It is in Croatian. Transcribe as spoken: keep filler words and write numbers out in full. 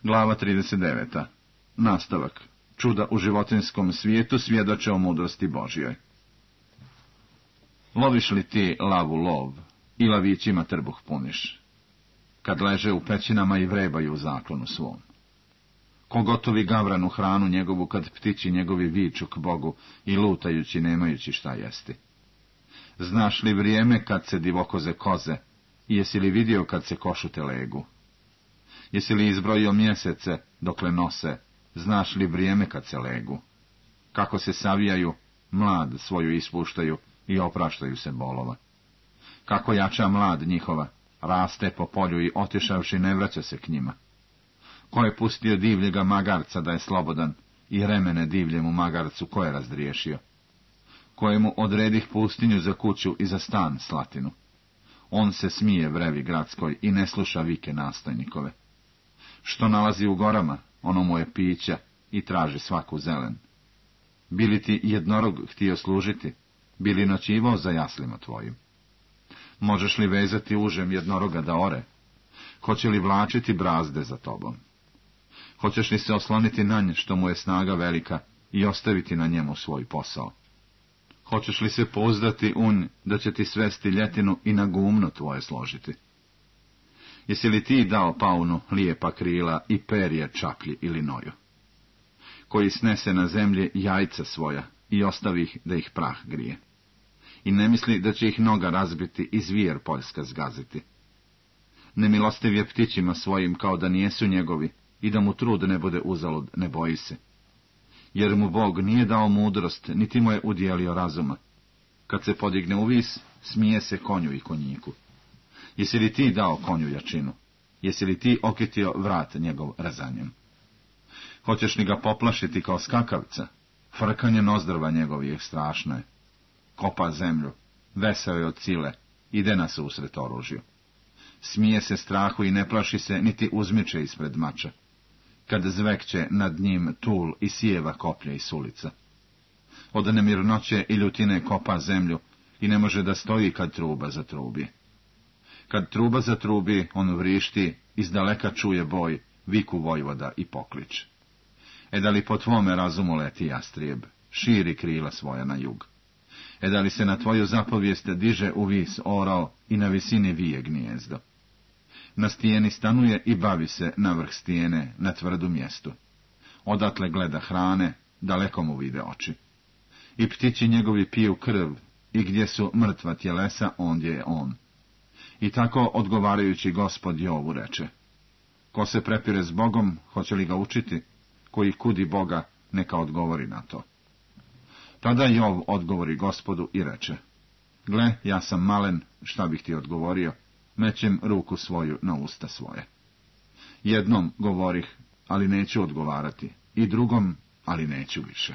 Glava trideset deveta. Nastavak. Čuda u životinjskom svijetu svjedoče o mudrosti Božjoj. Loviš li ti lavu lov i lavićima trbuh puniš, kad leže u pećinama i vrebaju u zaklonu svom? Ko gotovi gavranu hranu njegovu, kad ptići njegovi viču k Bogu i lutajući nemajući šta jesti? Znaš li vrijeme kad se divokoze koze i jesi li vidio kad se košute legu? Jesi li izbrojio mjesece dokle nose, znaš li vrijeme kad se legu? Kako se savijaju, mlad svoju ispuštaju i opraštaju se bolova. Kako jača mlad njihova, raste po polju i otišavši ne vraća se k njima. Ko je pustio divljega magarca da je slobodan i remene divljemu magarcu ko je razdriješio? Kojemu odredih pustinju za kuću i za stan slatinu? On se smije vrevi gradskoj i ne sluša vike nastojnikove. Što nalazi u gorama, ono mu je pića i traži svaku zelen. Bili ti jednorog htio služiti, bili noćivao za jaslima tvojim? Možeš li vezati užem jednoroga da ore? Hoće li vlačiti brazde za tobom? Hoćeš li se osloniti na nje što mu je snaga velika i ostaviti na njemu svoj posao? Hoćeš li se pouzdati u nj da će ti svesti ljetinu i na gumno tvoje složiti? Jesi li ti dao paunu lijepa krila i perje čaklji ili noju, koji snese na zemlji jajca svoja i ostavi ih da ih prah grije? I ne misli da će ih noga razbiti i zvijer poljska zgaziti. Nemilostiv je ptićima svojim kao da nijesu njegovi i da mu trud ne bude uzalud, ne boji se. Jer mu Bog nije dao mudrost, niti mu je udjelio razuma. Kad se podigne u vis, smije se konju i konjiku. Jesi li ti dao konju jačinu? Jesi li ti okitio vrat njegov rezanjem? Hoćeš li ga poplašiti kao skakavca? Frkanje nozdrva njegovih strašno je. Kopa zemlju, veseo je od sile, ide na susret oružju. Smije se strahu i ne plaši se, niti uzmiče ispred mača, kad zvekće nad njim tul i sijeva koplja i sulica. Od nemirnoće i ljutine kopa zemlju i ne može da stoji kad truba zatrubi. Kad truba zatrubi, on vrišti, izdaleka čuje boj, viku vojvoda i poklič. E da li po tvome razumu leti jastrijeb, širi krila svoja na jug? E da li se na tvoju zapovijest diže u vis orao i na visini vije gnijezdo? Na stijeni stanuje i bavi se na vrh stijene, na tvrdu mjestu. Odatle gleda hrane, daleko mu vide oči. I ptići njegovi piju krv, i gdje su mrtva tjelesa, ondje je on. I tako odgovarajući Gospod Jovu reče: ko se prepire s Bogom, hoće li ga učiti? Koji kudi Boga, neka odgovori na to. Tada Jov odgovori Gospodu i reče: gle, ja sam malen, šta bih ti odgovorio, mećem ruku svoju na usta svoje. Jednom govorih, ali neću odgovarati, i drugom, ali neću više.